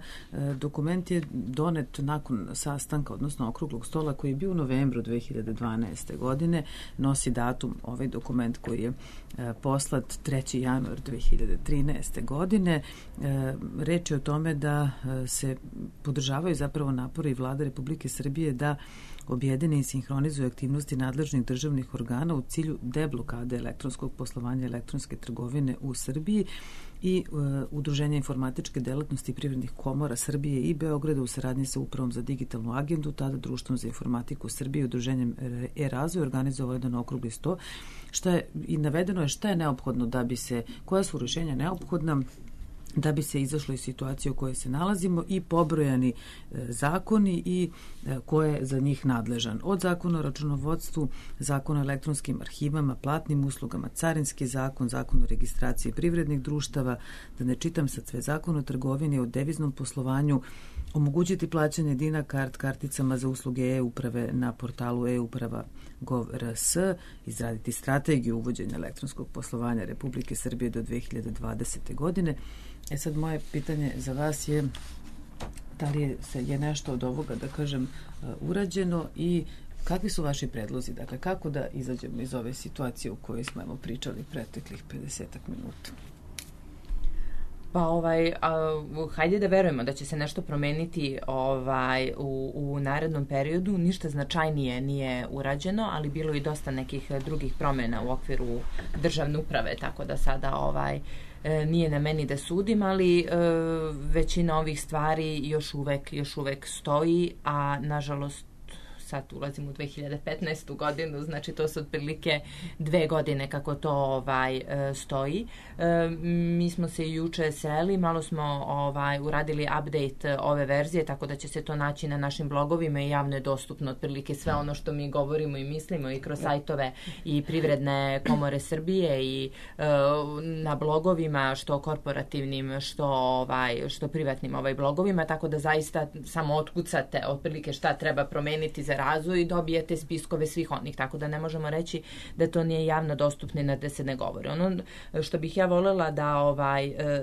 Dokument je donet nakon sastanka, odnosno okruglog stola koji je bio u novembru 2012. godine. Nosi datum ovaj dokument koji je poslat 3. januar 2013. godine. Reč je o tome da se podržavaju zapravo napori Vlade Republike Srbije da objedine i sinhronizuju aktivnosti nadležnih državnih organa u cilju deblokade elektronskog poslovanja, elektronske trgovine u Srbiji i Udruženja informatičke delatnosti privrednih komora Srbije i Beograda u saradnji sa Upravom za digitalnu agendu, tada Društvom za informatiku Srbije i Udruženjem e-razvoj organizovao jedan okrugli sto, što je i navedeno je šta je neophodno da bi se, koja su rješenja neophodna da bi se izašlo iz situacije u kojoj se nalazimo i pobrojani zakoni i ko je za njih nadležan. Od zakona o računovodstvu, zakona o elektronskim arhivama, platnim uslugama, carinski zakon, zakon o registraciji privrednih društava, da ne čitam sad sve, zakon o trgovini, o deviznom poslovanju, omogućiti plaćanje DINA karticama za usluge e-uprave na portalu e-uprava.gov.rs, izraditi strategiju uvođenja elektronskog poslovanja Republike Srbije do 2020. godine. Sad moje pitanje za vas je da li je nešto od ovoga, da kažem, urađeno i kakvi su vaši predlozi? Dakle, kako da izađemo iz ove situacije u kojoj smo pričali preteklih 50 minuta? Pa hajde da verujemo da će se nešto promeniti u narednom periodu. Ništa značajnije nije urađeno, ali bilo i dosta nekih drugih promjena u okviru državne uprave, tako da sada nije na meni da sudim, ali većina ovih stvari još uvek stoji, a nažalost sad ulazim u 2015. godinu, znači to su otprilike 2 godine kako to stoji. Mi smo se juče sreli, malo smo uradili update ove verzije, tako da će se to naći na našim blogovima i javno je dostupno otprilike sve ono što mi govorimo i mislimo i kroz sajtove i Privredne komore Srbije i na blogovima, što korporativnim, što privatnim blogovima, tako da zaista samo otkucate otprilike šta treba promeniti za razvoj i dobijete spiskove svih onih, tako da ne možemo reći da to nije javno dostupno i da se ne govori. Ono što bih ja voljela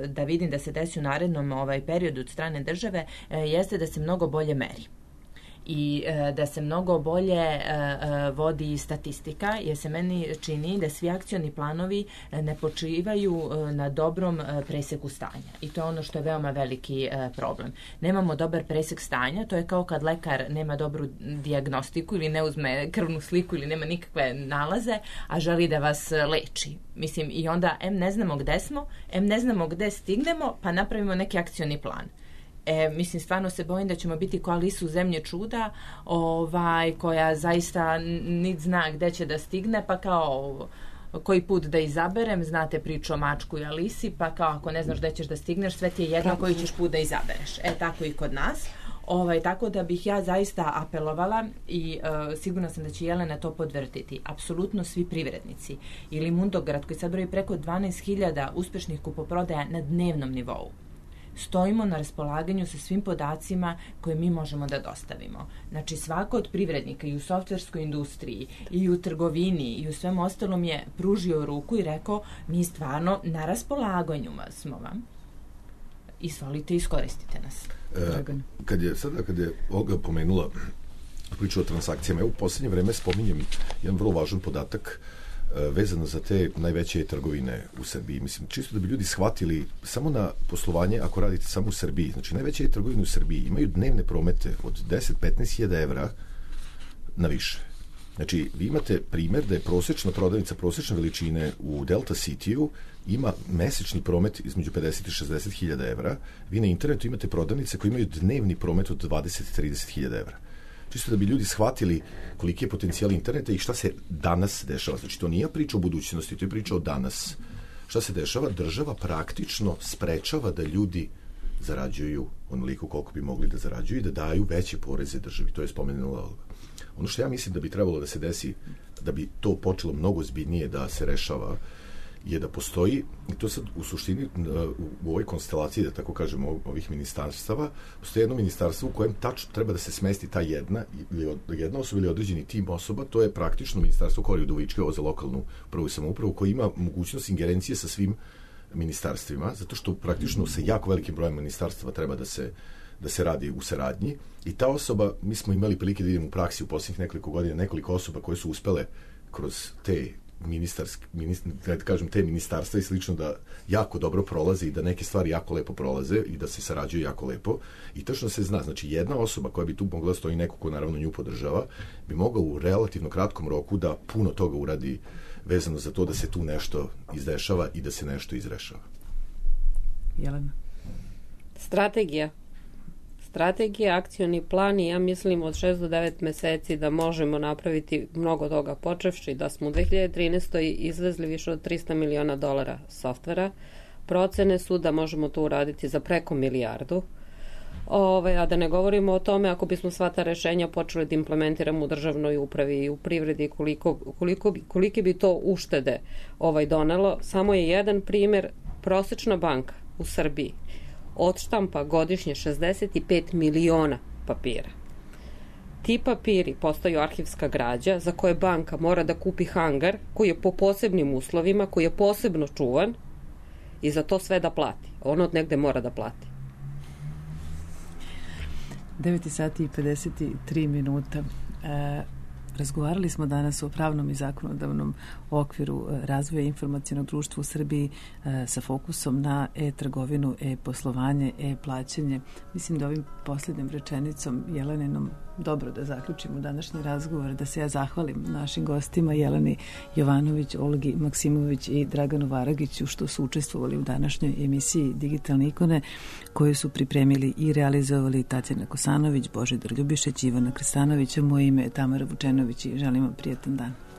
da vidim da se desi u narednom periodu od strane države jeste da se mnogo bolje meri i da se mnogo bolje vodi statistika, jer se meni čini da svi akcioni planovi ne počivaju na dobrom preseku stanja. I to je ono što je veoma veliki problem. Nemamo dobar presek stanja, to je kao kad lekar nema dobru dijagnostiku ili ne uzme krvnu sliku ili nema nikakve nalaze, a želi da vas leči. Mislim, i onda ne znamo gde smo, ne znamo gde stignemo, pa napravimo neki akcioni plan. Mislim, stvarno se bojim da ćemo biti kao Alisu u zemlji čuda, koja zaista niti zna gde će da stigne, pa kao koji put da izaberem, znate priču o mačku i Alisi, pa kao ako ne znaš gde ćeš da stigneš, sve ti je jedno koji ćeš put da izabereš. Tako i kod nas. Tako da bih ja zaista apelovala i sigurno sam da će Jelena to podvrtiti. Apsolutno svi privrednici ili Mundograd koji sad broji preko 12.000 uspešnih kupoprodaja na dnevnom nivou. Stojimo na raspolaganju sa svim podacima koje mi možemo da dostavimo. Znači, svako od privrednika i u softverskoj industriji i u trgovini i u svem ostalom je pružio ruku i rekao, mi stvarno na raspolaganju smo vam. Izvolite, iskoristite nas. Kad je Olga pomenula priču o transakcijama, u posljednje vreme spominjem jedan vrlo važan podatak vezano za te najveće trgovine u Srbiji. Mislim, čisto da bi ljudi shvatili samo na poslovanje, ako radite samo u Srbiji, znači najveće trgovine u Srbiji imaju dnevne promete od 10-15 hiljada evra na više. Znači, vi imate primjer da je prosječna prodavnica prosječne veličine u Delta City-u ima mesečni promet između 50 i 60 hiljada evra. Vi na internetu imate prodavnice koje imaju dnevni promet od 20-30 hiljada evra. Čisto da bi ljudi shvatili koliki je potencijal interneta i šta se danas dešava. Znači, to nije priča o budućnosti, to je priča o danas. Šta se dešava? Država praktično sprečava da ljudi zarađuju onoliko koliko bi mogli da zarađuju i da daju veće poreze državi. To je spomenula Olga. Ono što ja mislim da bi trebalo da se desi, da bi to počelo mnogo ozbiljnije da se rešava, je da postoji, i to sad u suštini u ovoj konstelaciji, da tako kažemo, ovih ministarstava, postoji jedno ministarstvo u kojem tačno treba da se smesti ta jedna osoba ili određeni tim osoba, to je praktično ministarstvo Kori Udovičke, ovo za lokalnu prvu samoupravu, koji ima mogućnost ingerencije sa svim ministarstvima, zato što praktično sa jako velikim brojem ministarstva treba da se radi u saradnji. I ta osoba, mi smo imali prilike da idemo u praksi u posljednjih nekoliko godina, nekoliko osoba koje su uspele kroz te te ministarstva i slično da jako dobro prolaze i da neke stvari jako lepo prolaze i da se sarađuju jako lepo. I tačno se zna, znači jedna osoba koja bi tu mogla da stoji, neko ko naravno nju podržava, bi mogao u relativno kratkom roku da puno toga uradi vezano za to da se tu nešto izdešava i da se nešto izrešava. Jelena? Strategija, akcioni plan i ja mislim od 6 do 9 meseci da možemo napraviti mnogo toga, počevši da smo u 2013. izvezli više od $300 miliona softvera, Procene su da možemo to uraditi za preko milijardu. A da ne govorimo o tome ako bismo sva ta rešenja počeli da implementiramo u državnoj upravi i u privredi, kolike bi to uštede donelo. Samo je jedan primer, prosečna banka u Srbiji odštampa godišnje 65 miliona papira. Ti papiri postaju arhivska građa za koje banka mora da kupi hangar koji je po posebnim uslovima, koji je posebno čuvan i za to sve da plati. Ono od negde mora da plati. 9 sati i 53 minuta. Razgovarali smo danas o pravnom i zakonodavnom okviru razvoja informacionog društva u Srbiji sa fokusom na e-trgovinu, e-poslovanje, e-plaćanje. Mislim da ovim posljednjom rečenicom Jeleninom dobro da zaključimo današnji razgovor, da se ja zahvalim našim gostima Jeleni Jovanović, Olgi Maksimović i Draganu Varagiću što su učestvovali u današnjoj emisiji Digitalne ikone koju su pripremili i realizovali Tatjana Kosanović, Božidar Ljubišić, Ivana Krstanović, moje ime je Tamara Vučenović i želim vam prijatan dan.